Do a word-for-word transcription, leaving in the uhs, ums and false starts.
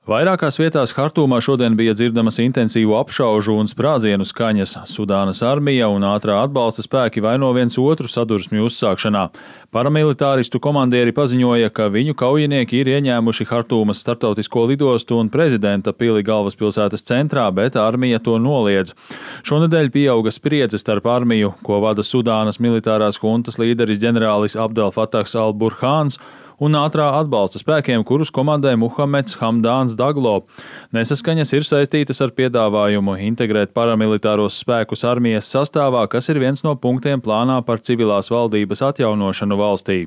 Vairākās vietās Hartūmā šodien bija dzirdamas intensīvu apšaužu un sprādzienu skaņas. Sudānas armija un ātrā atbalsta spēki vaino viens otru sadursmju uzsākšanā. Paramilitāristu komandieri paziņoja, ka viņu kaujinieki ir ieņēmuši Hartūmas starptautisko lidostu un prezidenta pili galvaspilsētas centrā, bet armija to noliedz. Šonedēļ pieauga spriedze starp armiju, ko vada Sudānas militārās huntas līderis ģenerālis Abdel Fatahs al-Burhāns, un ātrā atbalsta spēkiem, kurus komandē Muhameds Hamdāns Daglo. Nesaskaņas ir saistītas ar piedāvājumu integrēt paramilitāros spēkus armijas sastāvā, kas ir viens no punktiem plānā par civilās valdības atjaunošanu valstī.